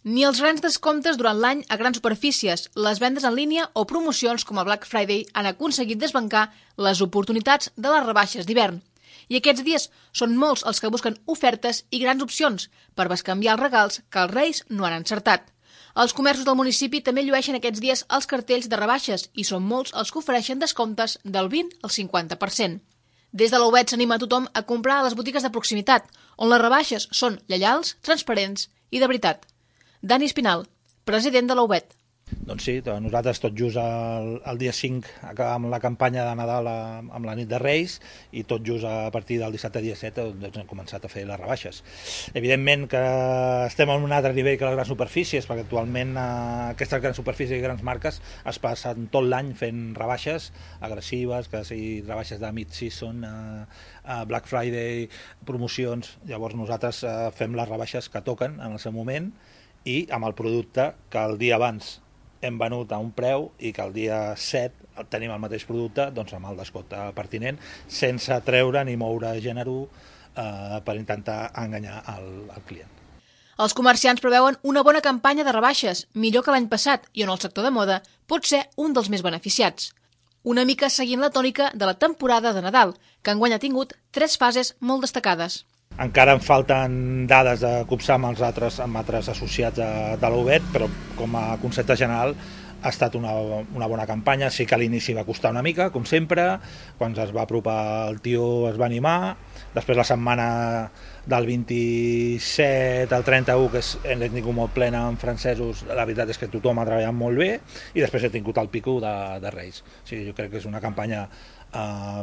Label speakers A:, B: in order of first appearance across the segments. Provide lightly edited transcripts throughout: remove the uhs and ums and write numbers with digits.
A: Ni els grans descomptes durant l'any a grans superfícies, les vendes en línia o promocions com el Black Friday han aconseguit desbancar les oportunitats de les rebaixes d'hivern. I aquests dies són molts els que busquen ofertes i grans opcions per bescanviar els regals que els Reis no han encertat. Els comerços del municipi també llueixen aquests dies els cartells de rebaixes i són molts els que ofereixen descomptes del 20 al 50%. Des de l'Aubet s'anima a tothom a comprar a les botigues de proximitat, on les rebaixes són lleials, transparents i de veritat. Dani Espinal, president de l'Aubet.
B: Doncs sí, nosaltres tot just el dia 5 acabam la campanya de Nadal amb la nit de Reis i tot just a partir del dissabte dia 7 doncs hem començat a fer les rebaixes. Evidentment que estem en un altre nivell que les grans superfícies, perquè actualment aquestes grans superfícies i grans marques es passen tot l'any fent rebaixes agressives, que sigui rebaixes de mid-season, Black Friday, promocions. Llavors nosaltres fem les rebaixes que toquen en el seu moment i amb el producte que el dia abans hem venut a un preu i que el dia 7 tenim el mateix producte doncs amb el descompte pertinent, sense treure ni moure gènere per intentar enganyar el client.
A: Els comerciants preveuen una bona campanya de rebaixes, millor que l'any passat, i on el sector de moda pot ser un dels més beneficiats. Una mica seguint la tònica de la temporada de Nadal, que enguany ha tingut 3 fases molt destacades.
B: Encara em falten dades de copsar amb altres associats de l'Aubet, però com a concepte general ha estat una bona campanya. Sí que a l'inici va costar una mica, com sempre, quan es va apropar el tio es va animar, després la setmana del 27 al 31, que hem tingut molt plena amb francesos, la veritat és que tothom ha treballat molt bé, i després he tingut el pico de Reis. O sigui, jo crec que és una campanya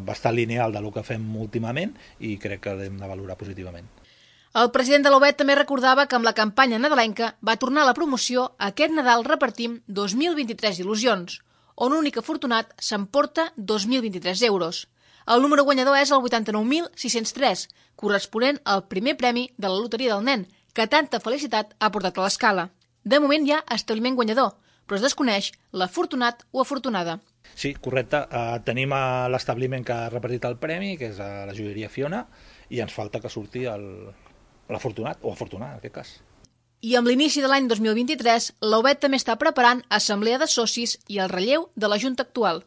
B: bastant lineal del que fem últimament i crec que l'hem de valorar positivament.
A: El president de l'Aubet també recordava que amb la campanya nadalenca va tornar a la promoció Aquest Nadal repartim 2023 il·lusions, on un únic afortunat s'emporta 2.023 euros. El número guanyador és el 89.603, corresponent al primer premi de la loteria del nen, que tanta felicitat ha portat a l'escala. De moment hi ha establiment guanyador, però es desconeix l'afortunat o afortunada.
B: Sí, correcte. Tenim l'establiment que ha repartit el premi, que és la joieria Fiona, i ens falta que surti l'afortunat, o afortunat en aquest cas.
A: I amb l'inici de l'any 2023, l'Aubet també està preparant assemblea de socis i el relleu de la Junta actual.